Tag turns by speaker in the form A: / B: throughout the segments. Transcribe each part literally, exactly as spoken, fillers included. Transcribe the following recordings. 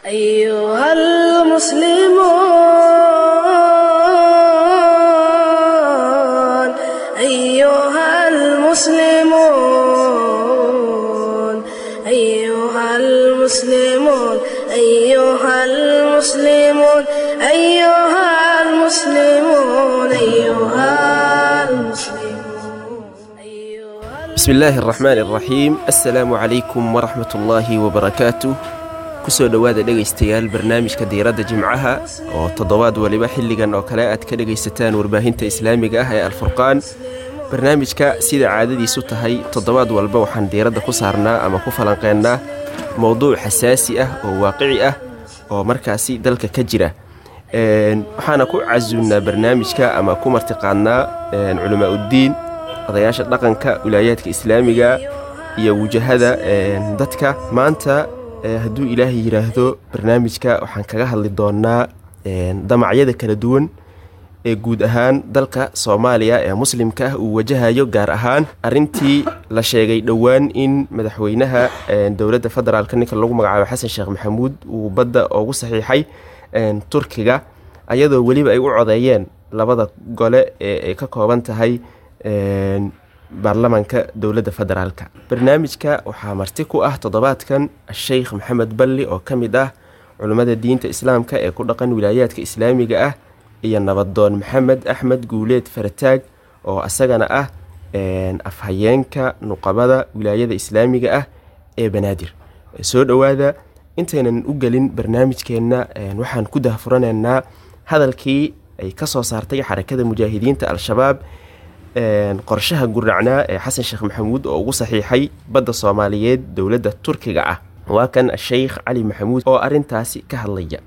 A: أيها المسلمون، أيها المسلمون، أيها المسلمون، أيها المسلمون، أيها المسلمون، أيها المسلمون.
B: بسم الله الرحمن الرحيم. السلام عليكم ورحمة الله وبركاته. Kusoo dhowaada dhegaystayaal barnaamijka Diiradda Jimcaha oo toddobaad waliba xilligan oo kale aad ka dhegaysataan warbaahinta islaamiga ah ee Alfurqaan. Barnaamijka sida caadadiisu tahay toddobaad walba waxaan diiradda ku saarnaa ama ku falanqeennaa mowduuc xasaasi ah oo waaqici ah oo markaasi dalka ka jira. Waxaana ku casuunnaa barnaamijka ama ku martiqaadnaa culamaauddiin, odayaasha dhaqanka wilaayaadka islaamiga iyo wujahada dadka. Maanta hadduu Ilaahay yidhaahdo barnaamijka waxaan kaga hadli doonaa damacyada kala duwan ee guud ahaan dalka Soomaaliya ee muslimka ah uu wajahayo, gaar ahaan arrintii la sheegay dhowaan in madaxweynaha dowladda federaalka ninka lagu magacaabo Xasan Sheekh Maxamuud uu badda ugu saxiixay Turkiga, ayadoo weliba ay u codeeyeen labada gole ee ay ka kooban tahay baarlamaanka dowladda federaalka. Barnaamijka waxaa marti ku ah toddobaadkan Sheikh Maxamed Balli oo ka mid ah culummada diinta islaamka ee ku dhaqan wilaayaadka islaamiga ah, iyo nabadoon Maxamed Axmed Guuleed Farataag oo asagana ah afhayeenka nuqabada wilaayada islaamiga ah ee Banaadir. Soo dhowaada. Intaynan u gelin barnaamijkeenna waxaan ku dahfuranaynaa hadalkii ay ka soo saartay Xarakada Mujaahidiinta Al-Shabaab qorshaha guracnaa ee Xasan Sheekh Maxamuud oo ugu saxiixay badda Soomaaliyeed dowladda Turkiga ah. Waa kan Sheikh Cali Maxamuud oo arrintaasi ka hadlaya.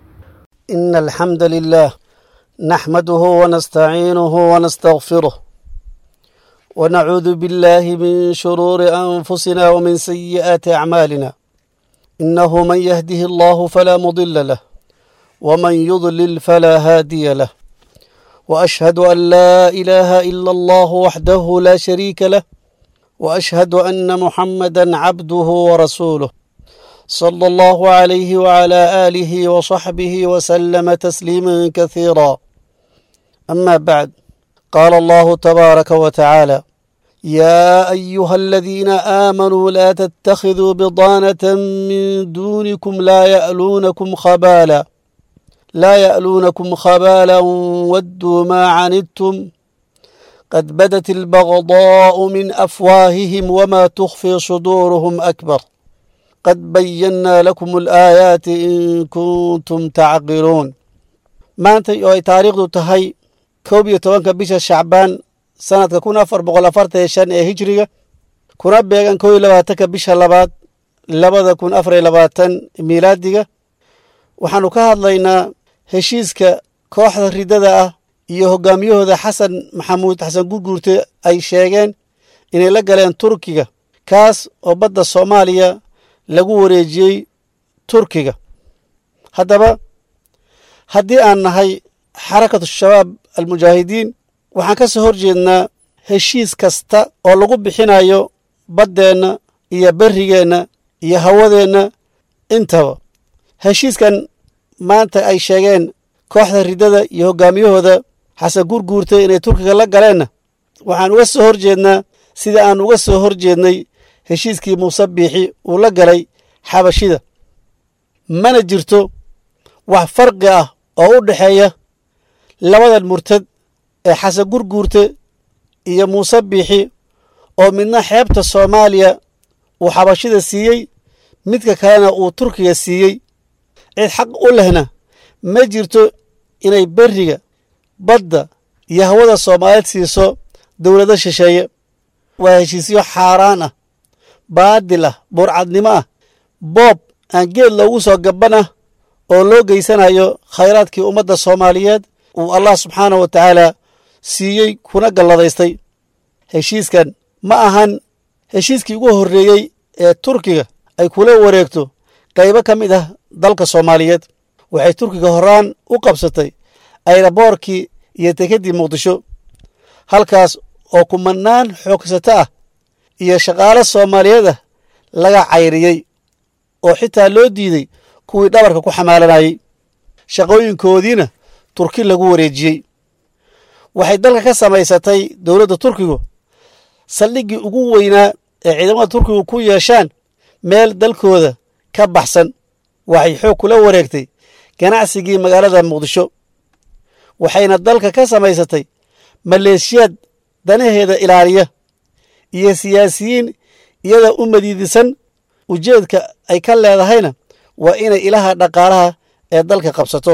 C: إن الحمد لله نحمده ونستعينه ونستغفره ونعوذ بالله من شرور أنفسنا ومن سيئات أعمالنا، إنه من يهده الله فلا مضل له ومن يضلل فلا هادي له، وأشهد أن لا إله إلا الله وحده لا شريك له، وأشهد أن محمدا عبده ورسوله صلى الله عليه وعلى آله وصحبه وسلم تسليما كثيرا. أما بعد، قال الله تبارك وتعالى: يا أيها الذين آمنوا لا تتخذوا بضانة من دونكم لا يألونكم خبالا لا يألونكم خبالا ودوا ما عنتم قد بدت البغضاء من أفواههم وما تخفي صدورهم أكبر قد بينا لكم الآيات إن كنتم تعقلون. Maanta oo ay taariikhdu tahay koob iyo tobanka bisha Shacbaan sanadka kun afar boqol afartan iyo shan ee hijriga, kuna beegan koo iyo labaatanka bisha labaad labada kun afar iyo labaatan miilaadiga, waxaanu ka hadlaynaa heshiiska kooxda riddada ah iyo hogaamiyahooda Xasan Maxamuud Xasan Gurguurte ay sheegeen inay la galeen Turkiga, kaas oo badda Soomaaliya lagu wareejiyey Turkiga. Haddaba haddii aan nahay Xarakatu Shabaab Almujaahidiin, waxaan ka soo horjeednaa heshiis kasta oo lagu bixinayo baddeenna iyo berrigeenna iyo hawadeenna intaba. Heshiiskan maanta ay sheegeen kooxda riddada iyo hoggaamiyahooda Xasan Gurguurte inay Turkiga la galeenna, waxaan uga soo horjeednaa sida aan uga soo horjeednay heshiiskii Muuse Biixi uu la galay Xabashida. Mana jirto wax farqi ah oo u dhexeeya labadan murtad ee Xasan Gurguurte iyo Muuse Biixi, oo midna xeebta Soomaaliya uu Xabashida siiyey, midka kalena uu Turkiga siiyey. Cid xaq u lehna ma jirto inay berriga, badda iyo hawada Soomaaliyeed siiso dowlado shisheeye. Waa heshiisyo xaaraan ah, baadil ah, burcadnimo ah, boob aan geed loogu soo gabban ah oo loo geysanayo khayraadkii ummadda Soomaaliyeed uu Allah subxaanahu wa tacaala siiyey kuna galladaystay. Heshiiskan ma ahan heshiiskii ugu horreeyey ee Turkiga ay kula wareegto qaybo ka mid ah dalka Soomaaliyeed. Waxay Turkiga horaan u qabsatay ayraboorkii iyo dekeddii Muqdisho, halkaas oo kumanaan xoogsato ah iyo shaqaale Soomaaliyeed ah laga cayriyey oo xitaa loo diiday kuwii dhabarka ku xamaalanayey, shaqooyinkoodiina Turki lagu wareejiyey. Waxay dalka ka samaysatay dowladda Turkigu saldhiggii ugu weynaa ee ciidamada Turkigu ku yeeshaan meel dalkooda ka baxsan. Waxay xoog kula wareegtay ganacsigii magaalada Muqdisho, waxayna dalka ka samaysatay maleeshiyaad danaheeda ilaaliya iyo siyaasiyiin iyada u madiidisan. Ujeedka ay ka leedahayna waa inay ilaha dhaqaalaha ee dalka qabsato.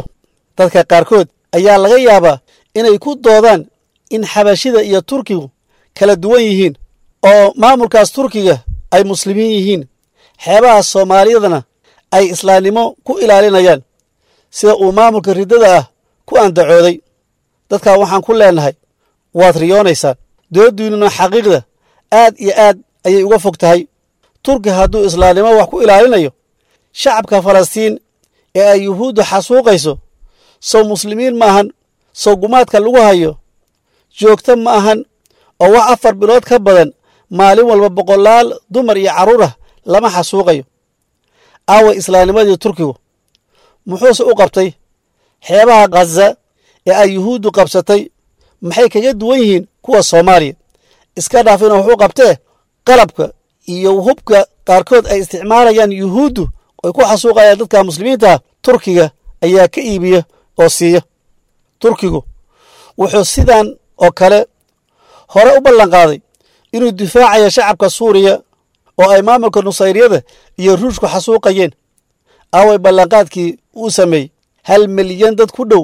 C: Dadka qaarkood ayaa laga yaabaa inay ku doodaan in Xabashida iyo Turkigu kala duwan yihiin, oo maamulkaas Turkiga ay muslimiin yihiin, xeebaha Soomaaliyadana ay islaamnimo ku ilaalinayaan, sida uu maamulka riddada ah ku andacooday. Dadkaa waxaan ku leenahay, waad riyoonaysaan, dooddiinnuna xaqiiqda aad iyo aad ayay uga fog tahay. Turki hadduu islaamnimo wax ku ilaalinayo, shacabka Falastiin ee ay Yuhuuddu xasuuqayso sow muslimiin ma ahan? Sow gumaadka lagu hayo joogto ma ahan, oo wax afar bilood ka badan maalin walba boqolaal dumar iyo carruur ah lama xasuuqayo? Aaway islaamnimadii Turkigu? Muxuuse u qabtay xeebaha Khaza ee ay Yuhuuddu qabsatay? Maxay kaga duwan yihiin kuwa Soomaaliya? Iska dhaaf inuu wax u qabtee, qalabka iyo hubka qaarkood ay isticmaalayaan Yuhuuddu ay ku xasuuqayaan dadka muslimiinta ah, Turkiga ayaa ka iibiya oo siiya. Turkigu wuxuu sidan oo kale hore u ballanqaaday inuu difaacayo shacabka Suuriya oo ay maamulka Nusayriyada iyo Ruushku xasuuqayeen. Aaway ballanqaadkii uu sameeyey? Hal milyan dad ku dhow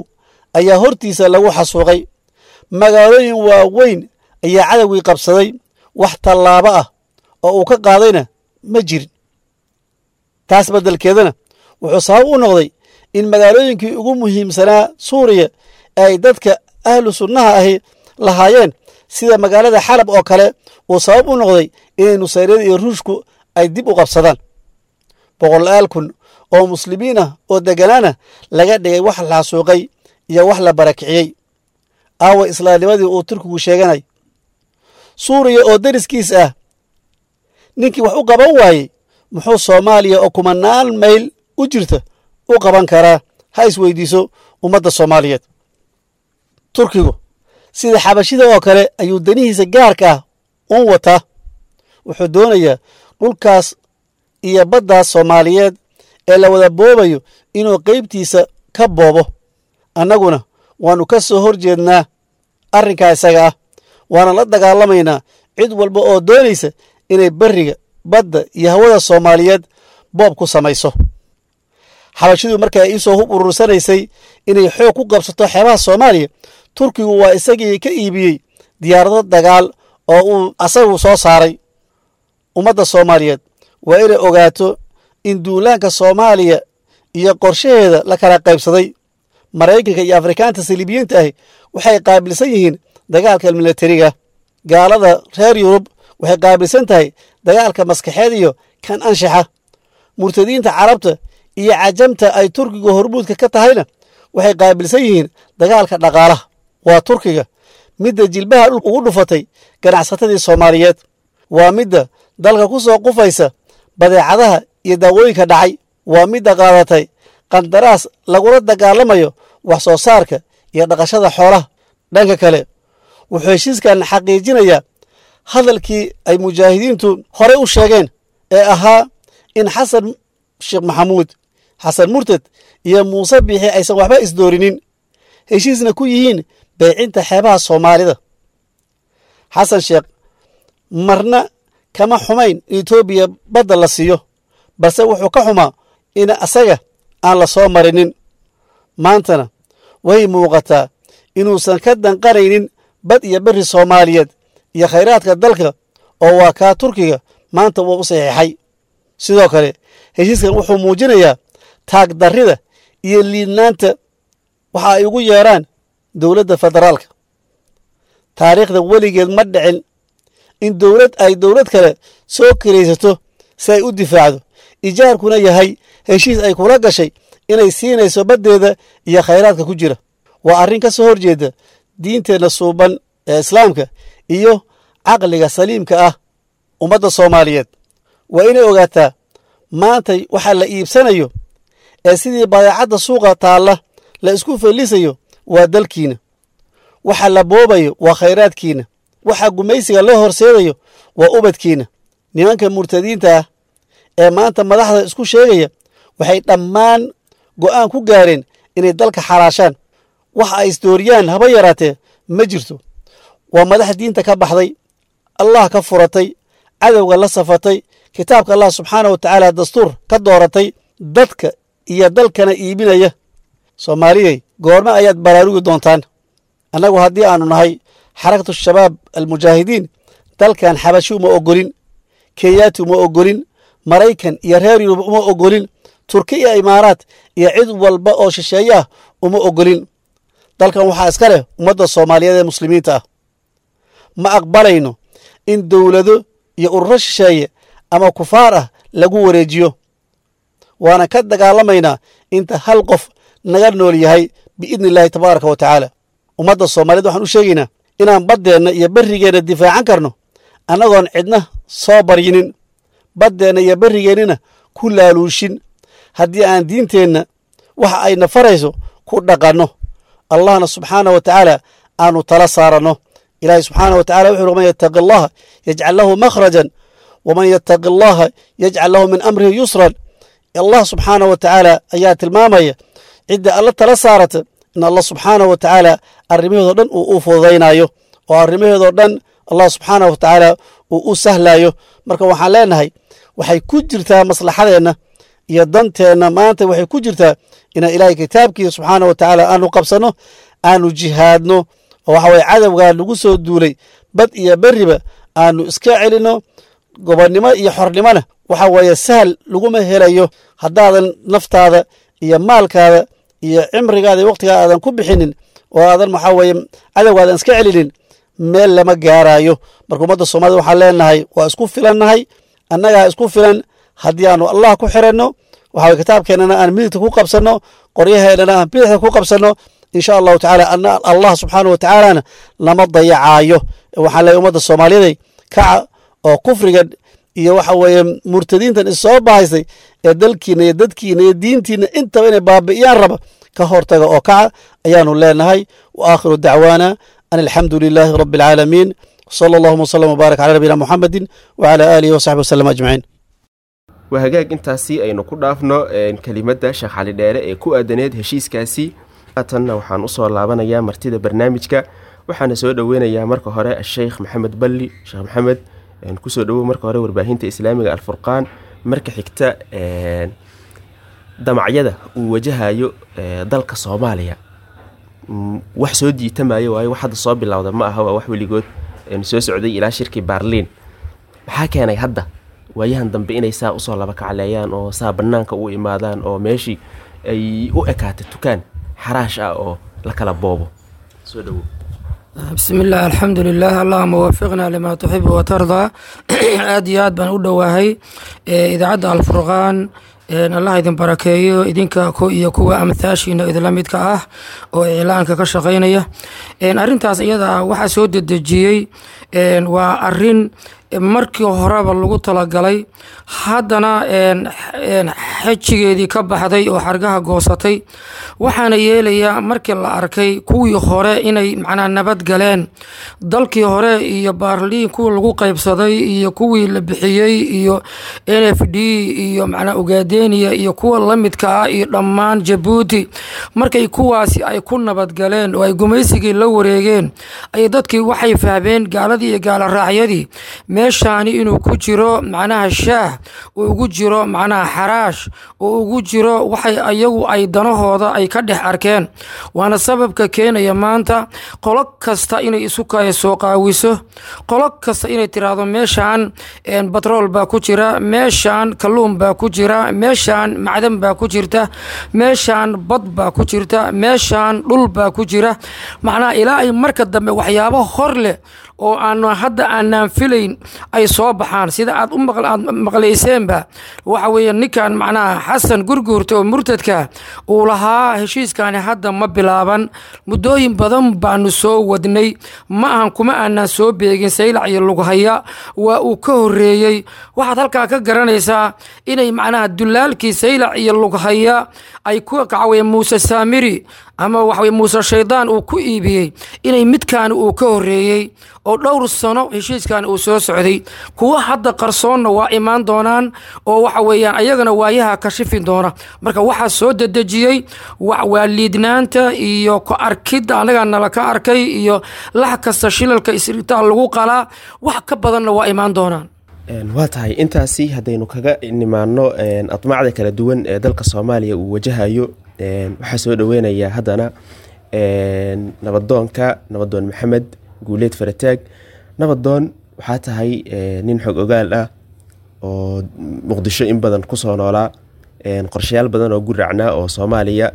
C: ayaa hortiisa lagu xasuuqay, magaalooyin waaweyn ayaa cadowgii qabsaday, wax tallaabo ah oo uu ka qaadayna ma jirin. Taas beddelkeedana wuxuu sabab u noqday in magaalooyinkii ugu muhiimsanaa Suuriya ee ay dadka ahlu sunnaha ahi lahaayeen, sida magaalada Xalab oo kale, uu sabab u noqday inay Nusayriyada iyo Ruushku ay dib u qabsadaan. Boqolaal kun oo muslimiin ah oo deganaana laga dhigay wax la xasuuqay iyo wax la barakiciyey. Aawa islaamnimadii uu Turkigu sheeganay? Suuriya oo deriskiis ah ninkii wax u qaban waayey, muxuu Soomaaliya oo kumanaan mayl u jirta u qaban karaa? Ha isweydiiso ummadda Soomaaliyeed. Turkigu sida Xabashida oo kale ayuu danihiisa gaarka ah uun wataa. Wuxuu doonayaa dhulkaas iyo baddaas Soomaaliyeed ee la wada boobayo inuu qaybtiisa ka boobo. Annaguna waannu ka soo hor jeednaa arrinkaa isaga ah, waana la dagaalamaynaa cid walba oo doonaysa inay berriga, badda iyo hawada Soomaaliyeed boob ku samayso. Xabashidu markay iisoo hub urursanaysay inay xoog ku qabsato xeebaha Soomaaliya, Turkigu waa isagii ka iibiyey diyaarado dagaal oo uu asagu soo saaray. Ummadda Soomaaliyeed waa inay ogaato in duulaanka Soomaaliya iyo qorshaheeda la kala qaybsaday. Maraykanka iyo Afrikaanta saliibiyiinta ahi waxay qaabilsan yihiin dagaalka milatariga, gaalada reer Yurub waxay qaabilsan tahay dagaalka maskaxeed iyo kan anshaxa, murtadiinta Carabta iyo cajamta ay Turkiga hormuudka ka tahayna waxay qaabilsan yihiin dagaalka dhaqaalaha. Waa Turkiga midda jilbaha dhulka ugu dhufatay ganacsatadii Soomaaliyeed, waa midda dalka ku soo qufaysa badeecadaha iyo daawooyinka dhacay, waa midda qaadatay qandaraas lagula dagaalamayo wax soo saarka iyo dhaqashada xoolaha. Dhanka kale, wuxuu heshiiskan xaqiijinayaa hadalkii ay mujaahidiintu horey u sheegeen ee ahaa in Xasan Sheekh Maxamuud, Xasan Murtad iyo Muuse Biixi aysan waxba isdoorinin, heshiisna ku yihiin beecinta xeebaha Soomaalida. Xasan Sheekh marna kama xumayn in Etoobiya badda la siiyo, balse wuxuu ka xumaa in asaga aan la soo marinin. Maantana way muuqataa inuusan ka danqanaynin bad iyo berri Soomaaliyeed iyo khayraadka dalka, oo waa kaa Turkiga maanta wuu u saxiixay. Sidoo kale heshiiskan wuxuu muujinayaa taagdarrida iyo liidnaanta waxa ay ugu yeeraan dowladda federaalka. Taariikhda weligeed ma dhicin in dowlad ay dowlad kale soo kiraysato si ay u difaacdo, ijaarkuna yahay heshiis ay kula gashay inay siinayso baddeeda iyo khayraadka ku jira. Waa arrin ka soo horjeeda diinteenna suuban ee Islaamka iyo caqliga saliimka ah. Ummadda Soomaaliyeed waa inay ogaataa maantay waxa la iibsanayo ee sidii badeecadda suuqa taalla la isku fellisayo waa dalkiina. Waxa la boobayo waa khayraadkiina. Waxa gumaysiga loo horseedayo waa ubadkiina. Nimanka murtadiinta ah ee maanta madaxda isku sheegaya waxay dhammaan go'aan ku gaareen inay dalka xalaashaan. Wax ay isdooriyaan haba yaraatee ma jirto. Waa madax diinta ka baxday, Allah ka furatay, cadowga la safatay, kitaabka Allah subxaana wa tacaala dastuur ka dooratay, dadka iyo dalkana iibinaya. Soomaaliyey, goorma ayaad baraarugi doontaan? Annagu haddii aanu nahay Xarakatu Shabaab Almujaahidiin, dalkan Xabashi uma ogolin, Kenyaati uma ogolin, Maraykan iyo reer Yurub uma ogolin, Turki iyo Imaaraat iyo cid walba oo shisheeye ah uma ogolin. Dalkan waxaa iska leh ummadda Soomaaliyeed ee muslimiinta ah. Ma aqbalayno in dowlado iyo ururo shisheeye ama kufaar ah lagu wareejiyo, waana ka dagaalamaynaa inta hal qof naga nool yahay, biidni illaahi tabaaraka wa tacaala. Ummadda Soomaaliyeed waxaan u sheegaynaa inaan baddeenna iyo berrigeenna difaacan karno annagoon cidna soo baryinin, baddeenna iyo berrigeennina ku laaluushin, haddii aan diinteenna waxa ayna farayso ku dhaqanno, Allahna subxaana wa tacaala aanu tala saaranno. Ilaahay subxaana wa tacala wuxu uhi: "Man yattaqi allaha yajcal lahu makhrajan, waman yattaqi allaha yajcal lahu min amrihi yusran." Allah subxaana wa tacaala ayaa tilmaamaya cidda Alla tala saarata in Allah subxaana wa tacaala arrimaheedoo dhan uu u fududaynayo, oo arrimaheedoo dhan Allah subxaana wa tacaala uu u sahlayo. Marka waxaan leenahay, waxay ku jirtaa maslaxadeenna iyo danteenna maanta, waxay ku jirtaa inaan Ilaahay kitaabkiisa subxaana wa tacaala aanu qabsanno, aanu jihaadno, oo waxa weye cadowgaa lagu soo duulay bad iyo berriba aanu iska celinno. Gobonnimo iyo xornimona waxa weeye sahal laguma helayo haddaadan naftaada iyo maalkaada iyo cimrigaada iyo waqtigaa aadan ku bixinin oo aadan waxaa weeye cadowgaadan iska celinin, meel lama gaaraayo. Marka ummadda Soomaalida waxaan leenahay, waa isku filannahay, annagaa isku filan haddii aanu Allah ku xiranno, waxa weye kitaabkeennana aan midigta ku qabsanno, qoryaheennana aan bidixda ku qabsanno. Insha Allahu tacaala Allah subxaana wa tacaalana lama dayacaayo. Waxaan leeyahay ummadda Soomaaliyeed, kaca oo kufrigan iyo waxa weeye murtadiintan issoo bahaysay ee dalkiina iyo dadkiina iyo diintiina intaba inay baabi'iyaan raba ka hortaga oo kaca ayaanu leenahay. Wa aakhiru dacwaana an alxamdu lilaahi rabbi alcaalamiin. Sala allahuma wasalam wbaarak cala nabiyina muxamedin wacala aalihi wasaxbi wasalam ajmaciin.
B: Waa hagaag, intaasi aynu ku dhaafno kelimadda Sheekh Cali Dheere ee ku aadaneed heshiiskaasi. Haatanna waxaan usoo laabanayaa martida barnaamijka, waxaana soo dhoweynayaa marka hore Asheykh Maxamed Balli. Sheekh Maxamed, kusoo dhowow marka hore warbaahinta islaamiga Alfurqaan. Marka xigta, damacyada uu wajahayo dalka Soomaaliya wax soo jiitamayo waayo, wax hadda soo bilowda ma aha, waa wax weligood soo socday ilaa shirkii Baarliin. Maxaa keenay hadda waayahan dambe inay saa usoo laba kacleeyaan oo saa banaanka u imaadaan oo meeshii ay u ekaatay tukaan xaraash ah oo la kala boobo? Soo dhowow.
D: Bismi illah, alxamdu lilah, allahuma waafiqna lima tuxibu watardaa. Aad iyo aad baan u dhowaahay idaacadda Alfurqaan. Allah idin barakeeyo idinka iyo kuwa amthaashiina idinla midka ah oo iclaanka ka shaqeynaya. Arrintaas iyada ah waxaa soo dedejiyey waa arin markii horeba lagu talagalay, haddana xejigeedii ka baxday oo xargaha goosatay. Waxaana yeelayaa markii la arkay kuwii hore inay macnaa nabad galeen, dalkii hore iyo Baarliin kuwii lagu qaybsaday iyo kuwii la bixiyey iyo N F D iyo macnaa Ugaadeniya iyo kuwa la midka ah iyo dhammaan Jabuuti, markay kuwaasi ay ku nabadgaleen oo ay gumaysigii la wareegeen, ay dadkii waxay fahmeen, gaaladii iyo gaala raacyadii, meeshaani inuu ku jiro macnaha shaah uu ugu jiro, macnaha xaraash uu ugu jiro, waxay ayagu ay danahooda ay ka dhex arkeen. Waana sababka keenaya maanta qolo kasta inay isu kaya soo qaawiso, qolo kasta inay tiraahdo meeshaan batrool baa ku jira, meeshaan kalluun baa ku jira, meeshaan macdan baa ku jirta, meeshaan bad baa ku jirta, meeshaan dhul baa ku jira. Macnaha ilaa ay marka dambe waxyaabo hor leh oo aanu hadda aanaan filayn ay soo baxaan. Sida aad u aad maqlayseenba, waxa weeye ninkan macnaha Xasan Gurguurta oo murtadka uu lahaa heshiiskani hadda ma bilaaban, muddooyin badan baanu soo wadnay, ma ahan kuma aanaan soo beegin Saylac iyo Lughaya, waa uu ka horeeyey. Waxaad halkaa ka garanaysaa inay macnaha dulaalkii Saylac iyo Lughaya ay ku kacaweye Muuse Saamiri ama waxaweye Muuse Shaydaan uu ku iibiyey, inay midkaani uu ka horeeyey oo dhowr sano heshiiskan uu soo socday. Kuwa hadda qarsoonna waa imaan doonaan oo waxa weeyaan ayagana waayaha kashifin doona. Marka waxaa soo dedejiyey waa liidnaanta iyo ku arkidda annagaa nala ka arkay iyo lax kasta shilalka isritaal lagu qalaa, wax ka badanna waa imaan doonaan.
B: Waa tahay, intaasi haddaynu kaga nimaano admacda kala duwan ee dalka Soomaaliya uu wajahayo, waxaa soo dhaweynayaa haddana nabadoonka, Nabadoon Maxamed Guuleed Farataag. Nabadoon, waxaa tahay nin xog ogaal ah oo Muqdisho in badan kusoo noolaa, qorshayaal badan oo guracnaa oo Soomaaliya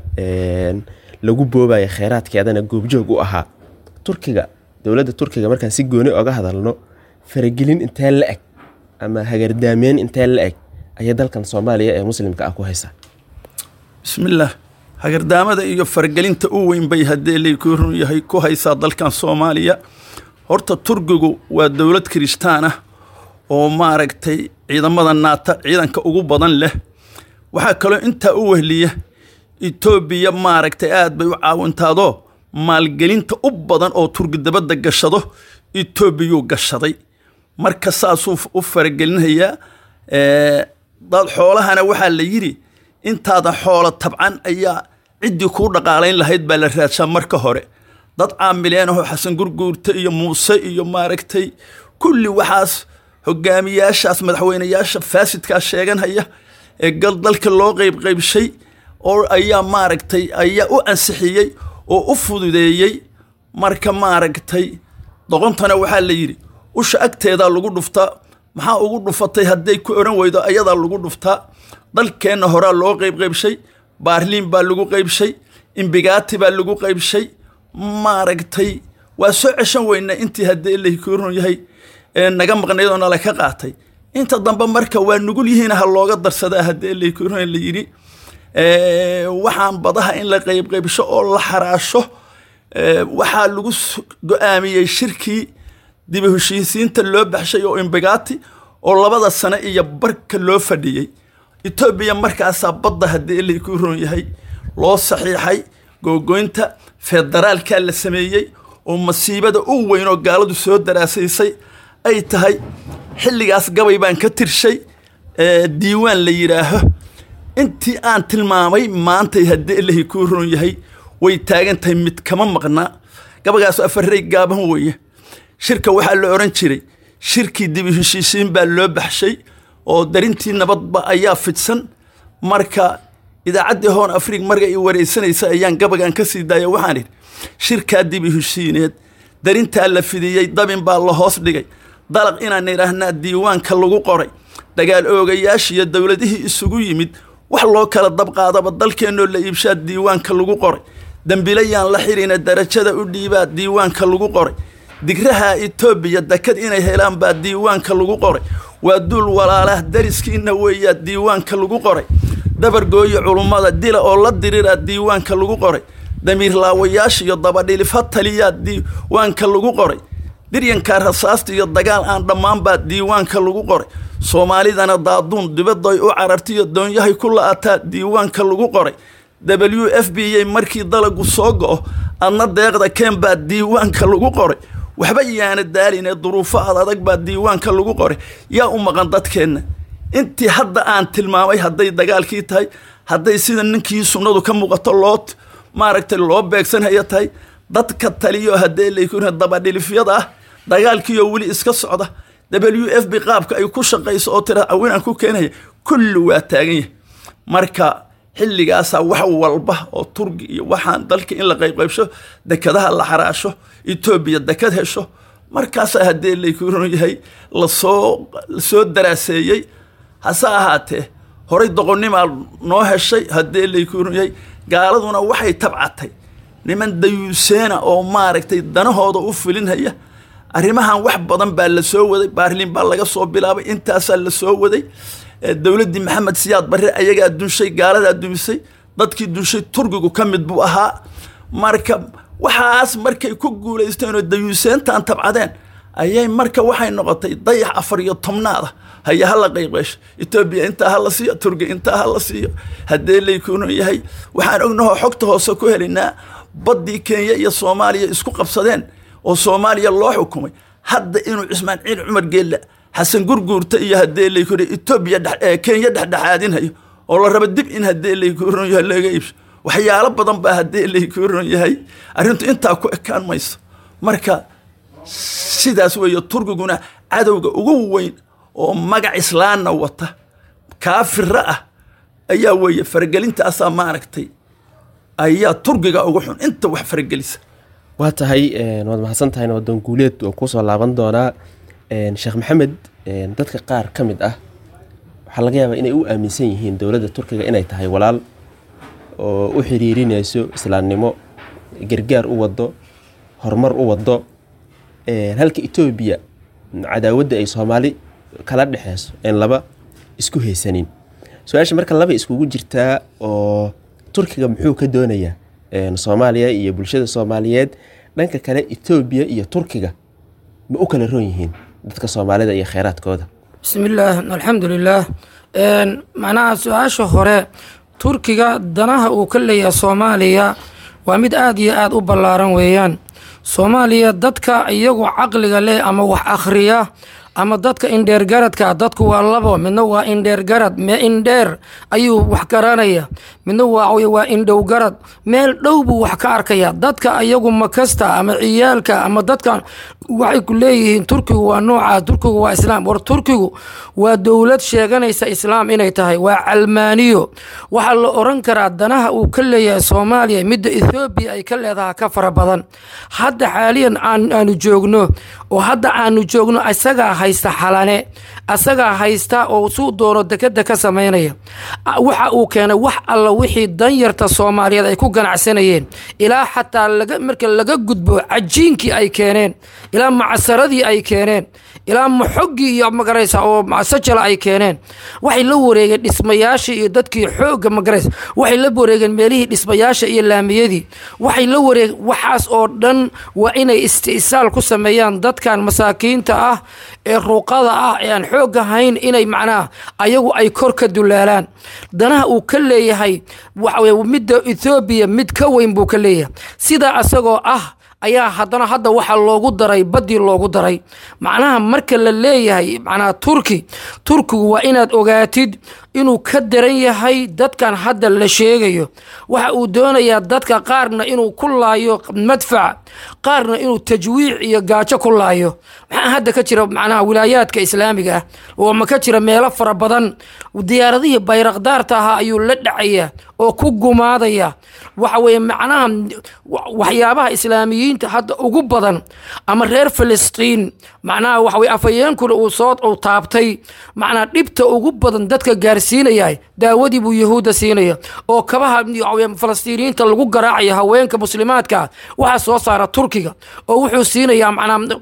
B: lagu boobaya kheyraadkeedana goobjoog u ahaa. Turkiga, dowladda Turkiga markaan si gooni oga hadalno, faragelin intee la eg ama hagardaameyn intee la eg ayay dalkan Soomaaliya ee muslimka ah ku haysaa?
E: Bismillaah. Hagardaamada iyo faragelinta u weyn bay haddii laykuu run yahay ku haysaa dalkan Soomaaliya. Horta Turkigu waa dowlad kiristaan ah oo maaragtay ciidamada naata ciidanka ugu badan leh. Waxaa kaloo intaa u wehliya Etoobiya, maaragtay aad bay u caawintaadoo maalgelinta u badan oo Turki dabadda gashado Etoobiyuu gashaday. Marka saasuu u faragelinhayaa dad. Xoolahana waxaa la yidhi intaadan xoolo tabcan ayaa ciddii kuu dhaqaalayn lahayd baa la raadshaa marka hore. Dad caamileen ahoo Xasan Gurguurta iyo Muuse iyo maaragtay kulli waxaas hogaamiyaashaas madaxweyneyaasha faasidkaa sheeganhaya ee gal dalka loo qeybqeybshay oo ayaa maaragtay ayaa u ansixiyey oo u fududeeyey. Marka maaragtay doqontana waxaa la yidhi usha agteedaa lagu dhuftaa, maxaa ugu dhufatay hadday ku oran weydo ayadaa lagu dhuftaa. Dalkeenna horaa loo qeybqeybshay, Baarliin baa lagu qeybshay, Imbigaati baa lagu qeybshay, maaragtay waa soo ceshan weynaa intii haddii ilahi kuu run yahay naga maqnayd oo nala ka qaatay. Inta dambe marka waa nugul yihiin, ha looga darsadaa haddii ilahi kuu run la yidhi. Waxaan badaha in la qeybqeybsho oo la xaraasho waxaa lagu go-aamiyey shirkii dib u heshiisiinta loo baxshay oo Imbigaati oo labada sano iyo barka loo fadhiyey Etoobiya. Markaasaa badda haddii ilahi kuu run yahay loo saxiixay, googoynta federaalkaa la sameeyey oo masiibada u weyn oo gaaladu soo daraasaysay ay tahay. Xilligaas gabay baan ka tirshay diiwaan la yidhaaho. Intii aan tilmaamay maantay haddii ilahi kuu run yahay way taagan tahay, mid kama maqnaa. Gabagaasu afarey gaaban weeye. Shirka waxaa la oran jiray shirkii dib u heshiisiin baa loo baxshay oo darintii nabadba ayaa fidsan. Marka idaacaddii Hoon Afriig marka i wareysanaysa ayaan gabagan ka sii daaya. Waxaan idhi shirkaa dib u heshiineed darintaa la fidiyey, dabin baa la hoos dhigay, dalaq inaan idhaahnaa diiwaanka lagu qoray. Dagaal oogayaashiiyo dowladihii isugu yimid wax loo kala dabqaadaba dalkeennoo la iibshaa diiwaanka lagu qoray. Dambilayaan la xirina darajada u dhiibaa diiwaanka lagu qoray. Digraha Etoobiya dekad inay helaan baa diiwaanka lagu qoray. Waa duul walaalah dariskiina weeyaa diiwaanka lagu qoray. Dabargooyo culummada dila oo la diriraa diiwaanka lagu qoray. Damiir laawayaasha iyo dabadhilifa taliyaa diiwaanka lagu qoray. Diryanka rasaasta iyo dagaal aan dhammaan baa diiwaanka lagu qoray. Soomaalidana daaduun dibaday u carartiyo doonyahay ku la-ataa diiwaanka lagu qoray. W F B a markii dalagu soo go-o adna deeqda keen baa diiwaanka lagu qoray. Waxba yaana daaline duruufo ad adag baa diiwaanka lagu qoray. Yaa u maqan dadkeenna intii hadda aan tilmaamay? Hadday dagaalkii tahay, hadday sida ninkii sunnadu ka muuqato loo maaragtay loo beegsanhaya tahay, dadka taliyo haddee laykuna dabadhilifyada ah, dagaalkiioo weli iska socda, W F B qaabka ay ku shaqayso oo tira awinaan ku keenaya, kulli waa taagan yahay. Marka xilligaasaa wax walba oo Turki iyo waxaan dalka in la qaybqaybsho, dekadaha la xaraasho, Etoobiya dekad hesho, markaasaa haddii laykun yahay lasoo lasoo daraaseeyey. Hase ahaatee horay doqonnimaa noo heshay haddii laykun yahay. Gaaladuna waxay tabcatay niman dayuuseena oo maaragtay danahooda u fulinhaya Arrimahan wax badan baa la soo waday, Baarliin baa laga soo bilaabay, intaasaa la soo waday. Dowladdii Maxamed Siyaad Barre ayagaa dunshay, gaaladaa dumisay, dadkii dunshay Turkigu ka mid buu ahaa. Marka waxaas markay ku guulaysteen oo dayuuseentaan tabcadeen ayay marka waxay noqotay dayax afar iyo tobnaada haya hala qayqeysho, Etoobiya intaa hala siiyo, Turki intaa hala siiyo. Haddee laykuunu yahay, waxaan ognahoo xogta hoose ku helaynaa baddii Kenya iyo Soomaaliya isku qabsadeen oo Soomaaliya loo xukumay hadda inuu Cismaan Ciil Cumar Geelle, Xasan Gurguurta iyo haddee laykuunu Etoobiya Kenya dhexdhexaadinhayo oo la rabo dib in haddee laykuunu yahay laga iibsho. Waxyaalo badan baa haddee laykuunu yahay, arrintu intaa ku ekaan mayso. Marka sidaas weeye, Turkiguna cadowga ugu weyn oo magac islaanna wata kaafira ah ayaa weeye. Faragelintaasaa maaragtay ayaa Turkiga ugu xun inta wax faragelisa.
B: Waa tahay, waad mahadsan tahay Nabadoon Guuleed, waan kusoo laaban doonaa. Sheekh Maxamed, dadka qaar ka mid ah waxaa laga yaabaa inay u aaminsan yihiin dowladda Turkiga inay tahay walaal oo u xiriirinayso islaamnimo, gargaar u wado, horumar u wado, halka Etoobiya cadaawadda ay Soomaali kala dhexeyso een laba isku haysanin. Su-aasha marka laba iskugu jirtaa oo Turkiga muxuu ka doonayaa Soomaaliya iyo bulshada Soomaaliyeed? Dhanka kale, Etoobiya iyo Turkiga ma u kala roon yihiin dadka Soomaalida iyo kheyraadkooda?
D: Bismillaah, alxamdulilaah. Macnaha su-aasha hore, Turkiga danaha uu ka leeyahay Soomaaliya waa mid aada iyo aada u ballaaran weeyaan. Soomaaliya dadka iyagu caqliga leh ama wax akhriya ama dadka indheergaradka, dadku waa labo, midna waa indheergarad, me indheer ayuu wax garanaya, midna waa waa indhowgarad, meel dhow buu wax ka arkaya. Dadka iyagu makasta ama ciyaalka ama dadka waxay ku leeyihiin Turkigu waa noocaas, Turkigu waa islaam. War Turkigu waa dowlad sheeganaysa islaam inay tahay, waa calmaaniyo. Waxaa la oran karaa danaha uu ka leeyahay Soomaaliya midda Ethoobiya ay ka leedahay ka fara badan. Hadda xaaliyan aan aanu joogno oo hadda aanu joogno isagaa haysta Xalane, asagaa haysta oo suu doono dekeda ka samaynaya. Waxa uu keenay wax alla wixii danyarta Soomaaliyeed ay ku ganacsanayeen, ilaa xataa laga marka laga gudbo cajiinkii ay keeneen, ilaa macsaradii ay keeneen, ilaa maxoggii iyo magaraysa oo sajala ay keeneen. Waxay la wareegeen dhismayaashii iyo dadkii xoogga magaraysa, waxay la wareegeen meelihii dhismayaasha iyo laamiyadii, waxay la wareegeen waxaas oo dhan. Waa inay isti'saal ku sameeyaan dadkan masaakiinta ah ee ruuqada ah ee aan xoog ahayn, inay macnaha ayagu ay kor ka dulaalaan. Danaha uu ka leeyahay waxa weye midda Ethoobiya mid ka weyn buu ka leeyahay. Sidaa asagoo ah ayaa haddana hadda waxaa loogu daray baddii loogu daray. Macnaha marka la leeyahay macnaha Turki, Turkigu waa inaad ogaatid inuu ka daran yahay dadkan hadda la sheegayo. Waxa uu doonayaa dadka qaarna inuu ku laayo madfac, qaarna inuu tajwiic iyo gaajo ku laayo. Maxaa hadda ka jira macnaha wilaayaadka islaamiga ah oo ma ka jira meelo fara badan? Diyaaradihii bayraqdaarta ahaa ayuu la dhacaya oo ku gumaadaya. Waxa weeye macnaha waxyaabaha islaamiyiinta hadda ugu badan ama reer Filistiin, macnaha waxa weye afhayeenkuna uu soo uu taabtay, macnaha dhibta ugu badan dadka gaarsiinaya daawadii buu Yahuudda siinaya oo kabaha Falastiiniyiinta lagu garaacaya haweenka muslimaadka waxaa soo saara Turkiga, oo wuxuu siinayaa macnaha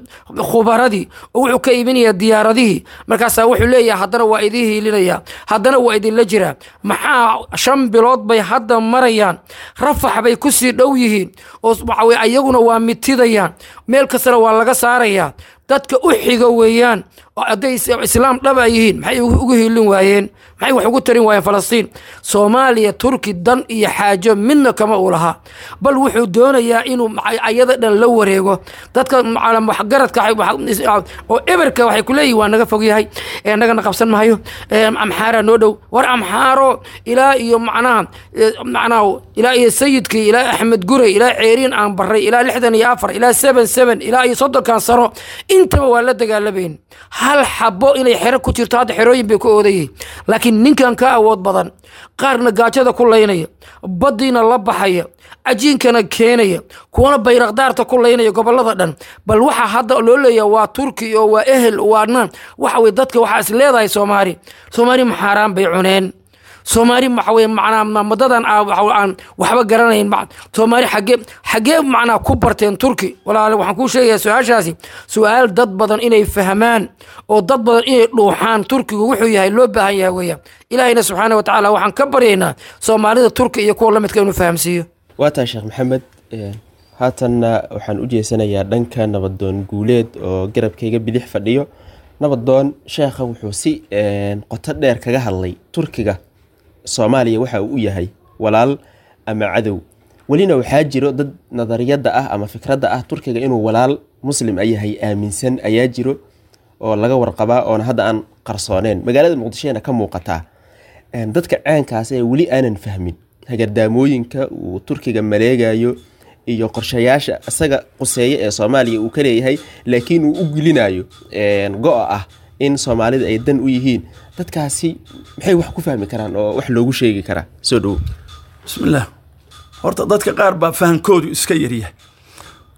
D: khubaradii oo wuxuu ka iibinayaa diyaaradihii. Markaasaa wuxuu leeyahay haddana waa idiin hiilinaya, haddana waa idinla jiraa. Maxaa shan bilood bay hadda marayaan, Rafax bay kusii dhow yihiin oo waxa weye ayaguna waa mitidayaan, meel kastana waa laga saarayaa. Dadka u xiga weeyaan oo hadday islaam dhab ay yihiin maxay ugu hiilin waayeen, maxay wax ugu tarin waayeen Falastiin? Soomaaliya Turki dan iyo xaajo midna kama uu lahaa, bal wuxuu doonayaa inuu ayada dhan la wareego. Dadka waxgaradka oo eberka waxay ku leeyihin waa naga fog yahay, nagana qabsan mahayo, Amxaara noo dhow. War Amxaaro ilaa iyo macnaha macnaha ilaa iyo Sayidkii, ilaa Axmed Gurey, ilaa Ceeriin aan baray, ilaa lixdan iyo afar, ilaa seven seven, ilaa iyo soddonkan sano intaba waa la dagaalabayn. Hal xabo inay xero ku jirto hadda xerooyin bay ku oodayeen, laakiin ninkan ka awood badan, qaarna gaajada ku laynaya, baddiina la baxaya, cajiinkana keenaya, kuwana bayraqdaarta ku laynaya gobolada dhan. Bal waxa hadda loo leeyahay waa Turki oo waa ehel waana waxa weye dadka waxaa is leedahay Soomaali. Soomaali maxaaraan bay cuneen, Soomaali waxa weye macnaa madadan aan waxba garanayn, Soomaali xagee xagee macnaa ku barteen Turki? Walaale, waxaan kuu sheegayaa su-aashaasi su-aal dad badan inay fahmaan oo dad badan inay dhuuxaan Turkigu wuxuu yahay loo baahan yahay weeyaan. Ilaahayna subxaana wa tacaala waxaan ka baryaynaa Soomaalida Turki iyo kuwa lamidka inuu fahamsiiyo.
B: Waa tahay, Sheekh Maxamed. Haatanna waxaan u jeesanayaa dhanka Nabadoon Guuleed oo garabkayga bidix fadhiyo. Nabadoon, sheekha wuxuu si qoto dheer kaga hadlay Turkiga Soomaaliya waxa uu u yahay walaal ama cadow. Welina waxaa jiro dad nadariyadda ah ama fikradda ah Turkiga inuu walaal Muslim yahay aaminsan ayaa jiro oo laga warqabaa, oona hadda aan qarsooneen, magaalada Muqdishoena ka muuqataa. Dadka caankaas ee weli aanan fahmin hagardaamooyinka uu Turkiga maleegayo iyo qorshayaasha isaga quseeye ee Soomaaliya uu ka leeyahay, laakiin uu u gelinayo go-a ah in Soomaalida ay dan u yihiin, dadkaasi maxay wax ku fahmi karaan oo wax loogu sheegi karaa? Soo dhowo.
E: Bismillaah. Horta dadka qaar baa fahankoodu iska yaryahay.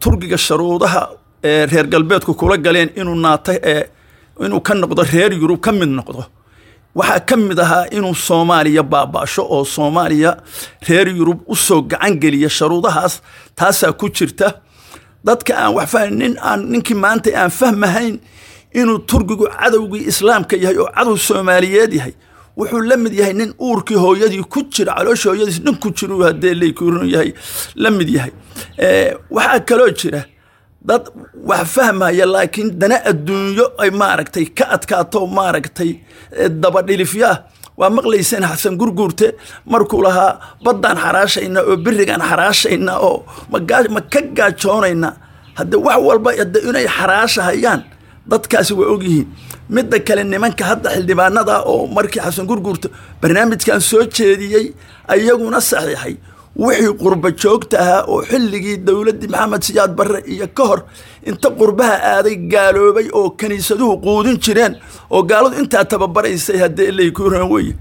E: Turkiga sharuudaha ee reer galbeedku kula galeen inuu naata ee inuu ka noqdo reer Yurub ka mid noqdo waxaa ka mid ahaa inuu Soomaaliya baabaasho oo Soomaaliya reer Yurub u soo gacan geliya. Sharuudahaas taasaa ku jirta. Dadka aan wax fahmin, nin aan ninkii maanta aan fahmahayn inuu Turkigu cadowgii Islaamka yahay oo cadow Soomaaliyeed yahay, wuxuu la mid yahay nin uurkii hooyadii ku jira, caloosha hooyadiis nin ku jira haddee leykuurun yahay la mid yahay. Waxaa kaloo jira dad wax fahmaya laakiin dana adduunyo ay maaragtay ka adkaato, maaragtay dabadhilifyaa. Waa maqlayseen Xasan Gurguurte markuu lahaa baddaan xaraashaynaa oo berigaan xaraashaynaa oo ma ka gaajoonaynaa. Hadde wax walba hadde inay xaraashahayaan dadkaasi waa ogyihiin. Midda kale, nimanka hadda xildhibaanada oo markii Xasan Gurguurte barnaamijkan soo jeediyey ayaguna saxiixay, wixii qurba joogta ahaa oo xilligii dowladdii Maxamed Siyaad Barre iyo ka hor inta qurbaha aaday gaaloobay oo kiniisaduhu quudin jireen oo gaaladu intaa tababaraysay haddee leykuuran weye,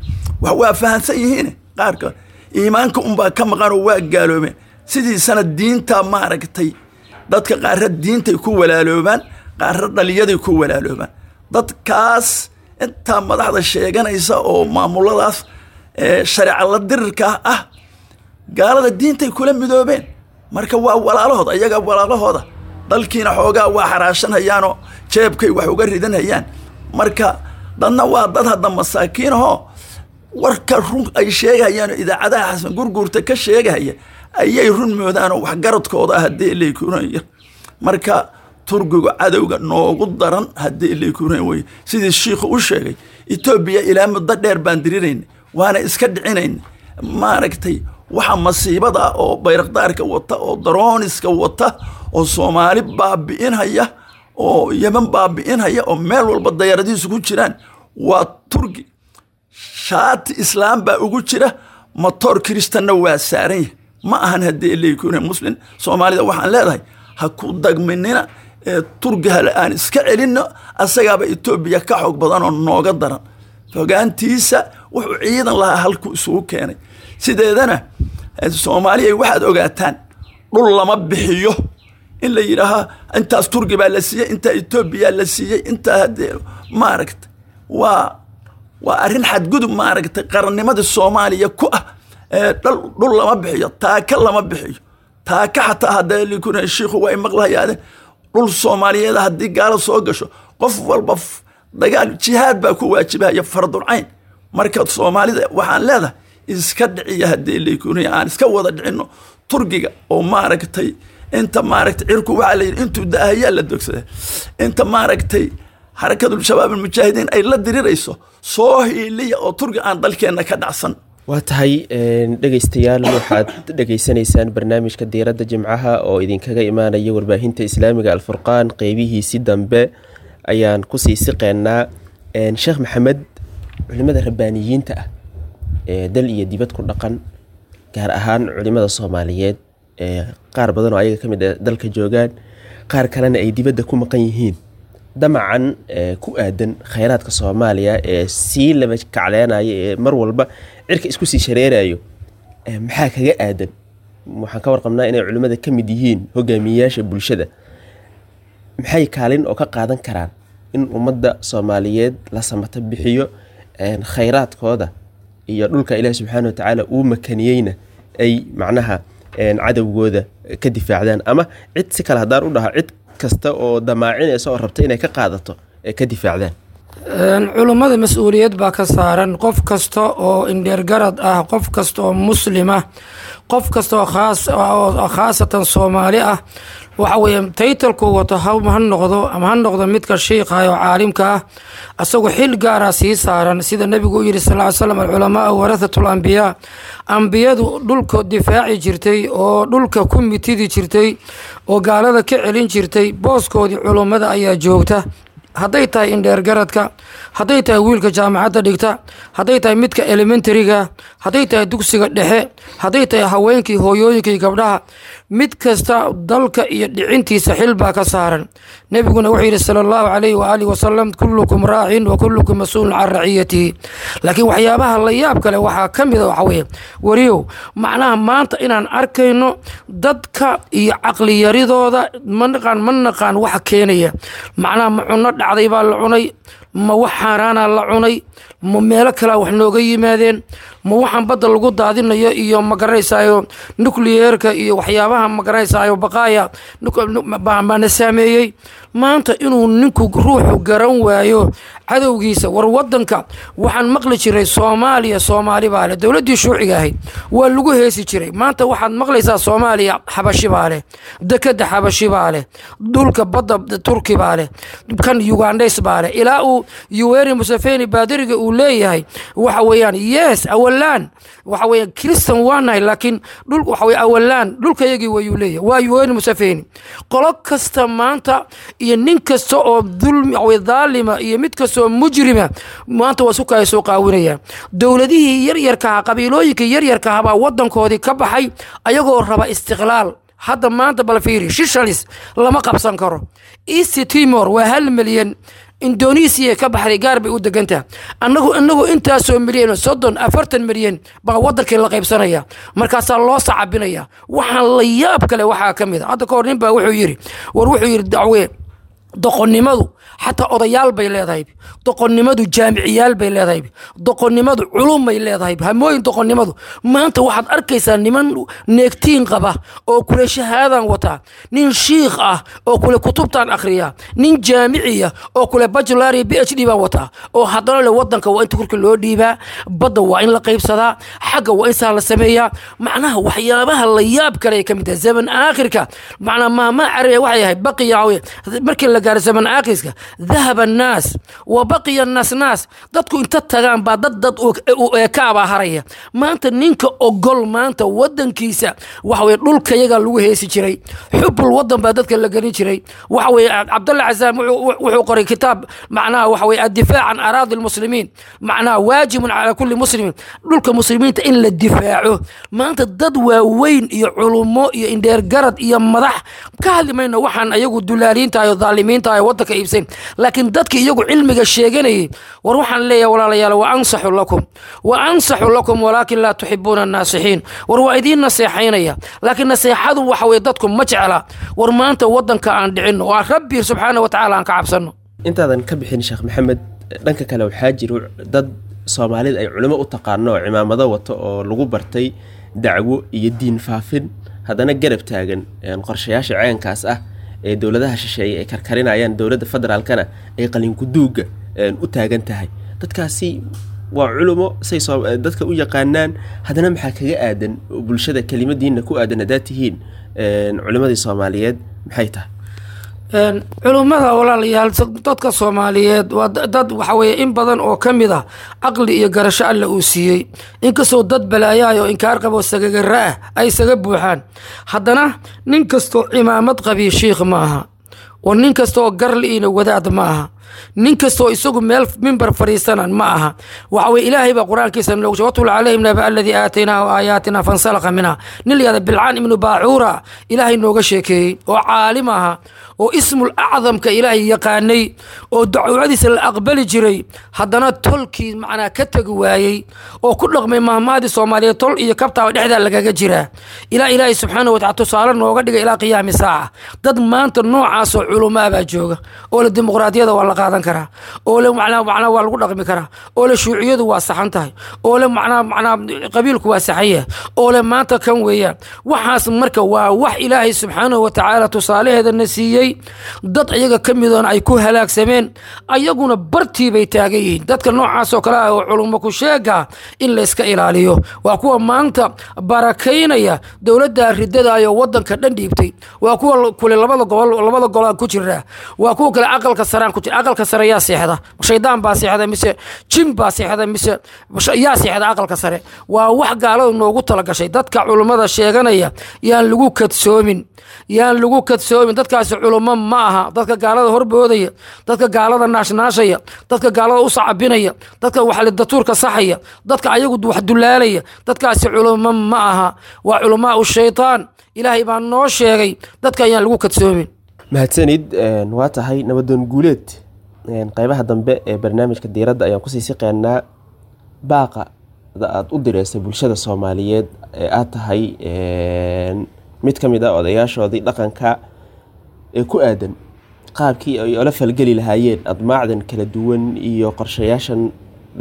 E: wax waa fahansan yihiin. Qaarka iimaanka unbaa ka maqanoo waa gaaloobeen. Sidiisana diinta maaragtay dadka qaarra diintay ku walaaloobaan, qaarra dhaliyaday ku walaaloobaan. Dadkaas intaa madaxda sheeganaysa oo maamuladaas shareeca la dirirka ah gaalada diintay kula midoobeen, marka waa walaalahooda, ayaga walaalahooda. Dalkiina xoogaa waa xaraashanhayaanoo jeebkay wax uga ridanhayaan. Marka dadna waa dad hadda masaakiinahoo warka run ay sheegahayaanoo idaacadaha Xasan Gurguurta ka sheegahaya ayay run moodaanoo waxgaradkooda ah haddii leykuuranya. Marka Turkigu cadowga noogu daran haddii leykuuran weye. Sidii shiikhu u sheegay, Etoobiya ilaa muddo dheer baan dirirayna waana iska dhicinayna. Maaragtay waxa masiibada oo bayrakdaarka wata oo darooniska wata oo Soomaali baabi'inhaya oo Yemen baabi'inhaya oo meel walba dayaaradihiisu ku jiraan waa Turki. Shaati Islaam baa ugu jira, matoor Kiristanna waa saaran yahay. Ma ahan haddii leykuuna Muslim. Soomaalida waxaan leedahay ha ku dagminina ee Turki hale aan iska celinno, asagaaba Etoobiya ka xoog badan oo nooga daran. Fogaantiisa wuxuu ciidan lahaa halkuu isugu keenay. Sideedana Soomaaliya waxaad ogaataan dhul lama bixiyo in la yidhaahaa intaas Turki baa la siiyey, intaa Etoobiya la siiyey, intaa haddee maaragta waa waa arrin xadgudub maaragtay qarannimada Soomaaliya ku ah. Dhul lama bixiyo, taaka lama bixiyo, taaka xataa haddee likuna shiikhu waa maqlahayaade. Dhul Soomaaliyeed haddii gaalo soo gasho qof walba dagaal jihaad baa ku waajibahaya fardulcayn. Marka Soomaalida waxaan leedahay iska dhiciya haddii likunaya, aan iska wada dhicinno Turkiga oo maaragtay inta maaragtay cirku waxaa la yidhi intuu daahayaa la dogsada, inta maaragtay Xarakatul Shabaab Almujaahidiin ay la dirirayso soo hiiliya oo Turki aan dalkeenna ka dhacsan.
B: Waa tahay dhegeystayaal, waxaad dhegeysanaysaan barnaamijka Diiradda Jimcaha oo idinkaga imaanaya warbaahinta islaamiga Alfurqaan. Qeybihiisi dambe ayaan kusii siqeynaa. Sheekh Maxamed, culimada rabbaaniyiinta ah ee dal iyo dibad ku dhaqan, gaar ahaan culimada Soomaaliyeed ee qaar badan oo ayaga ka mid ah dalka joogaan, qaar kalena ay dibadda ku maqan yihiin, damacan ku aadan khayraadka Soomaaliya ee sii laba kacleenaya ee mar walba cirka isku sii shareerayo, maxaa kaga aadan? Waxaan ka warqabnaa inay culimmada ka mid yihiin hogaamiyeyaasha bulshada. Maxay kaalin oo ka qaadan karaan in ummadda Soomaaliyeed la samata bixiyo khayraadkooda Iyo dhulka Ilaahi subxaana watacaala uu makaniyeyna ay macnaha cadowgooda ka difaacdaan, ama cid si kale haddaan u dhaha, cid kasta oo damaacinaysa oo rabta inay ka qaadato ee ka difaacdaan.
D: Culummada mas-uuliyad baa ka saaran. Qof kasta oo indheergarad ah, qof kasta oo muslim ah, qof kasta oo khaas oo khaasatan Soomaali ah, waxa weeye taytalku wato ha ha noqdo ama ha noqdo midka shiikha oo caalimka ah, asagoo xil gaara sii saaran. Sida Nebigu u yidhi sal ly slam: "Alculamaau warathatu lambiyaa." Ambiyadu dhulka difaaci jirtay oo dhulka ku mitidi jirtay oo gaalada ka celin jirtay, booskoodii culummada ayaa joogta. Hadday tahay indheergaradka, hadday tahay wiilka jaamacadda dhigta, hadday tahay midka elementaryga, hadday tahay dugsiga dhexe, hadday tahay haweenkii, hooyooyinkii, gabdhaha, mid kasta dalka iyo dhicintiisa xil baa ka saaran. Nebiguna wuxuu yidhi sala Allahu calayhi waaalihi wasalam: "Kullukum raacin wa kullukum mas-uulun can raciyatihi." Laakiin waxyaabaha la yaab kale waxaa ka mida, waxa weeye, wariyow, macnaha maanta inaan arkayno dadka iyo caqliyaridooda. Ma naqaan, ma naqaan waxa keenaya. Macnaha ma cunno dhacday baa la cunay? Ma wax xaaraana la cunay? Ma meelo kalea wax nooga yimaadeen? Ma waxaan badda lagu daadinayo iyo magaranaysayo nucleerka iyo waxyaabaha magaranaysayo baqaaya baana saameeyey maanta inuu ninku ruuxu garan waayo cadowgiisa? War wadanka waxaan maqli jiray Soomaaliya Soomaali baa leh, dowladdii shuuciga ahayd waa lagu heesi jiray. Maanta waxaad maqlaysaa Soomaaliya Xabashi baa leh, dekeda Xabashi baa leh, dhulka badda Turki baa leh, kan Ugandhes baa leh, ilaa uu Yuweri Museveni baadiriga uu leeyahay waxa weeyaan yes, awalaan waxa weeyaan Christian waa nahay, laakiin dhul waxa weye awalaan dhulkayagii wayuu leeyahay, waa Yuweri Museveni. Qolo kasta maanta iyo nin kasta oo dulmi waxa dhaalima iyo mid kasta oo mujrima maanta waa suka ay soo qaawinayaan. Dowladihii yaryarkaha, qabiilooyinkii yaryarkaha baa wadankoodii ka baxay ayagoo raba istiqlaal. Hadda maanta bal fiiri, Shishalis lama qabsan karo, East Timor waa hal milyan, Indonesiya ka baxday, gaar bay u degantaha. Anagu inagu intaasoo milyan, soddon afartan milyan baa wadankii la qaybsanaya, markaasaa loo sacabinaya. Waxaan la yaab kale waxaa ka mid a, hadda kahor nin baa wuxuu yidhi, war wuxuu yidhi, dacwee doqonnimadu xataa odayaal bay leedahay, doqonnimadu jaamiciyaal bay leedahay, doqonnimadu culum bay leedahay, hamooyin doqonnimadu. Maanta waxaad arkaysaa niman neegtiin qaba oo kule shahaadan wataa, nin shiikh ah oo kule kutubtaan akhriya, nin jaamiciya oo kule bachelor iyo P H D baan wataa, oo haddana le wadanka waa inta korka loo dhiibaa, badda waa in la qaybsadaa, xagga waa in saa la sameeyaa. Macnaha waxyaabaha la yaab kale ay ka mid tahay zaman aakhirka. Macnaha maahmaah carabiya waxay ahayd: baqiya markii la gaaro zaman aakhirka, dahaba annaas wa baqiya annaas naas. Dadku inta tagaan baa dad dad u eekaabaa haraya. Maanta ninka ogol maanta wadankiisa, waxa weye dhulkayaga lagu heesi jiray, xubul wadan baa dadka la gelin jiray. Waxa weye Cabdalla Casaam wuxuu qoray kitaab, macnaha waxa weye addifaac can araadi lmuslimiin, macnaha waajibun calaa kulli muslimin, dhulka muslimiinta in la difaaco. Maanta dad waaweyn iyo culummo iyo indheergarad iyo madax ka hadli mayno, waxaan ayagu dulaaliinta iyo dhaalimiinta ay wadanka iibsayn, laakiin dadki iyagu cilmiga sheeganayay. War waxaan leeyahay walaalayaal, wa ansaxu lakum wa ansaxu lakum walaakin laa tuxibuuna annaasixiin. War waa idiin naseexaynaya, laakiin naseexadu waxa weye dadku ma jecla. War maanta wadanka aan dhicinno oo Rabbi subxaana wa tacaala aan ka cabsanno.
B: Intaadan ka bixin, Sheekh Maxamed, dhanka kale waxaa jiro dad Soomaalida ay culimo u taqaano oo cimaamado wato oo lagu bartay dacwo iyo diin faafin, haddana garab taagan qorshayaasha ceenkaas ah ee dowladaha shisheeye ay karkarinayaan, dowladda federaalkana ay qalinkuduuga u taagan tahay. Dadkaasi waa culumo say dadka u yaqaanaan, haddana maxaa kaga aadan bulshada kelimadiina ku aadan haddaad tihiin culimmadii Soomaaliyeed, maxay tahay?
D: Culummada, walaalayaal, dadka Soomaaliyeed waa dad waxa weye in badan oo ka mid ah caqli iyo garasho Alla uu siiyey. Inkastoo dad balaayahay oo inkaar qabo sagagara ah ay isaga buuxaan, haddana nin kastoo cimaamad qabiy shiikh ma aha, oo nin kastaoo garliina wadaad ma aha, nin kastoo isagu meel mimbar fadhiisanan ma aha. Waxa weye Ilaahay baa Qur-aankiisa noogu sheegay: "Watlu calayhim naba alladii aataynaahu aayaatina fansalakha minha." Nin la yihahda Bilcaan ibnu Baacuura Ilaahay nooga sheekeeyey oo caalim aha. oo ismul acdamka ilaahay yaqaanay oo dacwadiisa la aqbali jiray, haddana tolkii macnaa ka tegi waayey oo ku dhaqmay mahmaadii Soomaaliyeed, tol iyo kabtaaba dhexdaa lagaga jiraa, ilaa Ilaahay subxaanahu watacaala tusaale nooga dhigay ilaa qiyaami saaca. Dad maanta noocaasoo culumaa baa jooga oo le dimuqraadiyada waa la qaadan karaa, oo le macnaa macnaa waa lagu dhaqmi karaa, oo le shuuciyadu waa saxan tahay, oo le macnaa macnaa qabiilku waa saxan yahay, oo le maanta kan weeyaan waxaas. Marka waa wax Ilaahay subxaanahu watacaala tusaalaheeda na siiyey, dad iyaga ka midoona ay ku halaagsameen, ayaguna bartii bay taagan yihiin. Dadka noocaasoo kale ah oo culummo ku sheega in layska ilaaliyo. Waa kuwa maanta barakaynaya dowladda ridadaayoo wadanka dhan dhiibtay, waa kuwa kule labada gobol labada golaan ku jiraa, waa kuwa kale aqalka saraan ku jira. Aqalka sare yaa seexda? Shaydaan baa seexda mise jin baa seexda mise yaa seexda aqalka sare? Waa wax gaaladu noogu talagashay. Dadka culummada sheeganaya yaan lagu kadsoomin, yaan lagu kadsoomin. Dadkaasi culummo ma aha. Dadka gaalada horboodaya, dadka gaalada naashnaashaya, dadka gaalada u sacabinaya, dadka wax datuurka saxaya, dadka ayagu wax dulaalaya, dadkaasi culummo ma aha, waa culamaa u shaytaan. Ilaahay baa noo sheegay, dadka ayaan lagu kadsoomin.
B: Mahadsanid. Waa tahay, Nabadoon Guuleed, qeybaha dambe ee barnaamijka diiradda ayaan kusii siqeynaa. Baaqa aad u direysa bulshada Soomaaliyeed ee aad tahay mid ka mid ah odayaashoodii dhaqanka ee ku aadan qaabkii ay ola falgeli lahaayeen admaacdan kala duwan iyo qorshayaashan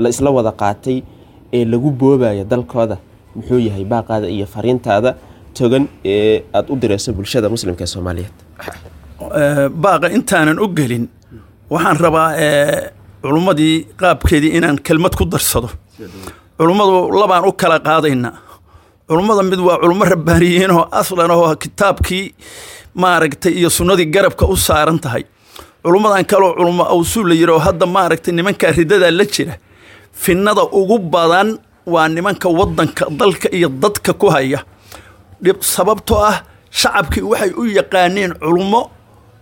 B: la isla wada qaatay ee lagu boobayo dalkooda, muxuu yahay baaqaada iyo fariintaada togan ee aada u direyso bulshada muslimka ee Soomaaliyeed?
E: Baaqa intaanan u gelin, waxaan rabaa culummadii qaabkeedii inaan kelmad ku darsado. Culummadu labaan u kala qaadaynaa. Culummada mid waa culummo rabbaaniyiinoo aslan ahoo kitaabkii maaragtay iyo sunnadii garabka u saaran tahay. Culummadan kaloo culummo awsuul la yidhi oo hadda maaragtay nimankaa ridadaa la jira, finnada ugu badan waa nimanka waddanka, dalka iyo dadka ku haya dhib, sababtoo ah shacabkii waxay u yaqaaneen culummo,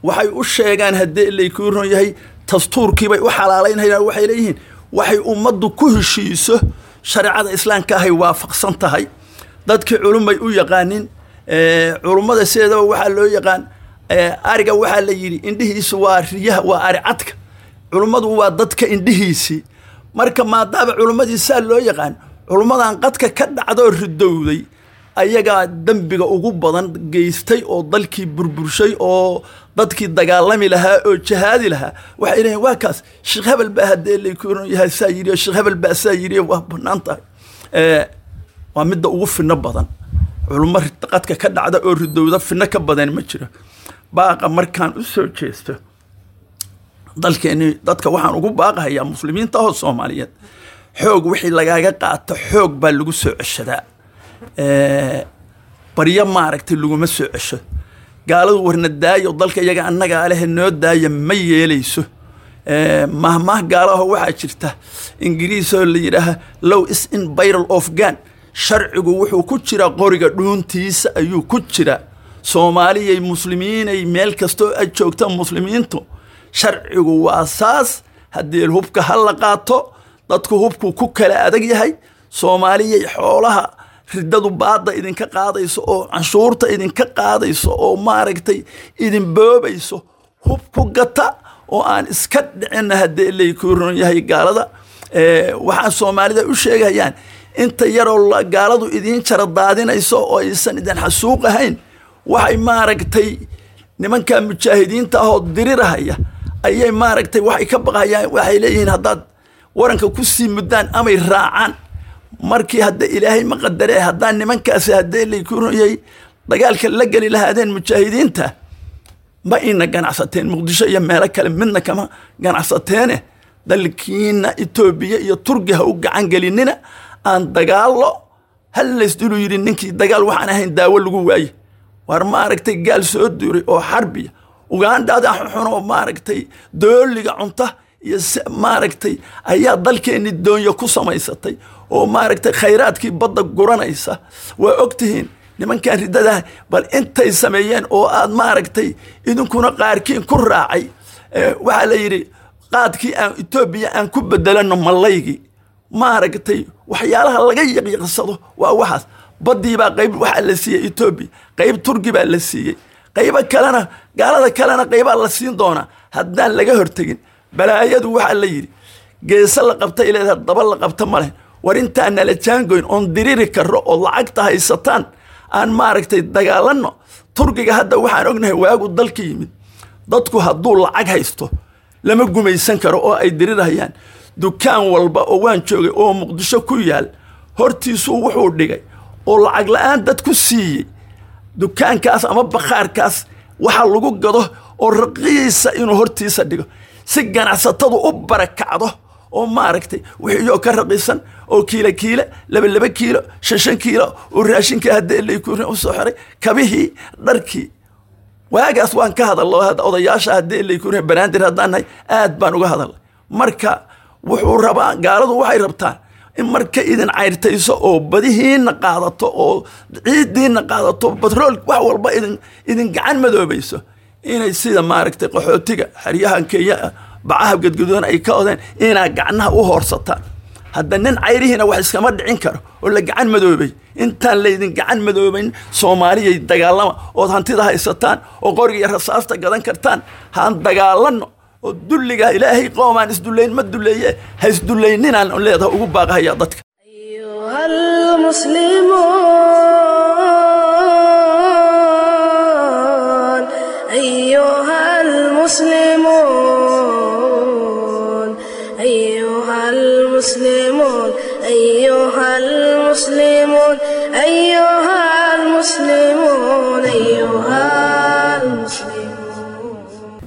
E: waxay u sheegaan haddii laykuu ron yahay dastuurkiibay u xalaalaynayaan. Waxay leeyihiin waxay ummaddu ku heshiiso shareecada islaamka ahay waafaqsan tahay. Dadkii culummay u yaqaanin. Culummada sideedaba waxaa loo yaqaan ariga, waxaa la yidhi indhihiisu waa riyaha, waa ari cadka. Culummadu waa dadka indhihiisii. Marka maadaama culummadii saa loo yaqaan, culummadan qadka ka dhacdoo ridowday ayagaa dembiga ugu badan geystay oo dalkii burburshay oo dadkii dagaalami lahaa oo jihaadi lahaa waxay leeyihin waa kaas sheekh hebel baa haddee laykuron yahay saa yidhi, sheekh hebel baa saa yidhi, waa bannaan tahay. Waa midda ugu finno badan. Culummo qadka ka dhacda oo ridowda finno ka badan ma jiro. Baaqa markaan u soo jeesto, dalkeeni dadka waxaan ugu baaqahayaa muslimiinta oo Soomaaliyeed, xoog wixii lagaaga qaato xoog baa lagu soo ceshadaa, baryo maaragtay laguma soo cesho. Gaaladu warna daayo, dalka iyaga annagaa lehe noo daaya, ma yeelayso. Mahmaah gaalaho waxaa jirta Ingiriisoo la yidhaaha "Law is in barrel of gun", sharcigu wuxuu ku jiraa qoriga dhuuntiisa ayuu ku jiraa. Soomaaliyay, muslimiinay, meel kastoo ay joogta muslimiintu, sharcigu waa saas. Haddii hubka ha la qaato, dadku hubku ku kala adag yahay. Soomaaliyay, xoolaha riddadu baadda idinka qaadayso oo canshuurta idinka qaadayso oo maaragtay idin boobayso, hub ku gata oo aan iska dhicinna haddii laykuu ron yahay gaalada. Waxaan Soomaalida u sheegayaan, inta yaroo gaaladu idiin jara daadinayso oo aysan idin xasuuq ahayn, waxay maaragtay nimanka mujaahidiinta ahoo dirirahaya ayay maaragtay waxay ka baqayaan. Waxay leeyihiin haddaad waranka ku sii muddaan amay raacaan. Markii hadda Ilaahay ma qadaree, haddaan nimankaasi haddee laykuu ron yahay dagaalka la geli lahaadeen mujaahidiinta, ma ina ganacsateen Muqdisho iyo meelo kale midna kama ganacsateene. Dalkiina Etoobiya iyo Turki ha u gacan gelinina. Aan dagaallo hal laysdulu yidhi ninkii dagaal waxaan ahayn daawo lagu waaye. War maaragtay gaal soo duuray oo xarbiya, Ugaandhada xunxun oo maaragtay dooliga cunta iyo maaragtay ayaa dalkeenni doonyo ku samaysatay oo maaragtay khayraadkii badda guranaysa. Waa ogtihiin nimankan riddadaha bal intay sameeyeen oo aad maaragtay idinkuna qaarkiin ku raacay. Waxaa la yidhi qaadkii aan Etoobiya aan ku bedelano mallaygii. Maaragtay waxyaalaha laga yaqyaqsado waa waxaas. Baddii baa qayb waxaa la siiyey Etoobiya, qayb Turki baa la siiyey, Qaybo kalena gaalada kalena qaybaa la siin doonaa haddaan laga hortegin. Balaayadu waxaa la yidhi geese la qabta ileedaha, daba la qabta ma leh. War intaan nala jaangoyn oon diriri karro oo lacagta haysataan aan maaragtay dagaalanno. Turkiga hadda waxaan ognahay waagu dalka yimid, dadku hadduu lacag haysto lama gumaysan karo oo ay dirirahayaan. Dukaan walba oo waan joogay oo Muqdisho ku yaal hortiisuu wuxuu dhigay oo lacag la'aan dad ku siiyey dukaankaas ama bakhaarkaas waxa lagu gado oo raqiisa inuu hortiisa dhigo si ganacsatadu u barakacdo oo maaragtay wixii ka raqiisan oo kiilo kiilo, laba laba kiilo, shan shan kiilo oo raashinka haddii laykurin u soo xiray, kabihii, dharkii. Waagaas waan ka hadallo hadda odayaasha haddii laykurin Banaadir haddaan nahay aad baan uga hadalnay. Marka wuxuu rabaa, gaaladu waxay rabtaa in marka idin cayrtayso oo badihiinna qaadato oo ciiddiinna qaadato, batrool wax walba idin idin gacan madoobayso, inay sida maaragtay qaxootiga xeryahan Kenya bacaha gadgaduudan ay ka odeen inaa gacnaha u hoorsataan. Hadda nin cayrihiina wax iskama dhicin karo oo la gacan madoobay. Intaan laydin gacan madoobayn Soomaaliyay dagaalama ood hantida haysataan oo qoriga iyo rasaasta gadan kartaan. Haan dagaalanno oo dulliga Ilaahay qoomaan isdullayn ma dulleeye, ha isdullayninaan leedaha ugu baaqahaya dadka.
A: أيها المسلمون، أيها المسلمون، أيها المسلمون، أيها المسلمون، أيها المسلمون، أيها المسلمون.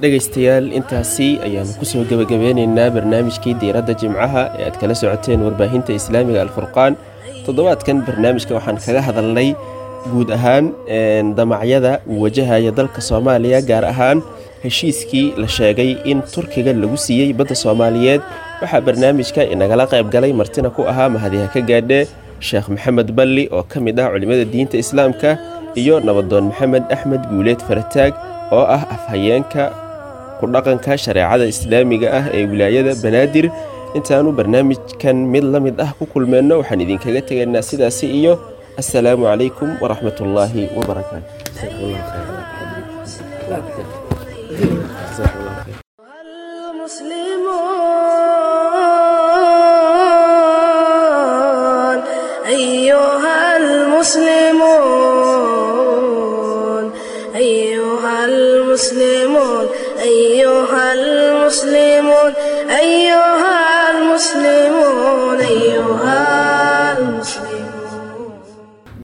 B: Dhegaystayaal, intaasi ayaanu kusoo gebagabeynaynaa barnaamijkii diiradda jimcaha ee aad kala socoteen warbaahinta islaamiga Alfurqaan. Toddobaadkan barnaamijka waxaan kaga hadalnay guud ahaan damacyada uu wajahaya dalka Soomaaliya, gaar ahaan heshiiskii la sheegay in Turkiga lagu siiyey badda Soomaaliyeed. Waxaa barnaamijka inagala qayb galay martina ku ahaa mahadiha ka gaadhe Sheekh Maxamed Balli oo ka mid ah culimmada diinta islaamka, iyo nabadoon Maxamed Axmed Guuleed Farataag oo ah afhayeenka ku dhaqanka shareecada islaamiga ah ee wilaayada Banaadir. Intaanu barnaamijkan mid la mid ah ku kulmeenno, waxaan idinkaga tegaynaa sidaasi iyo assalaamu calaykum waraxmatullaahi wabarakaatu.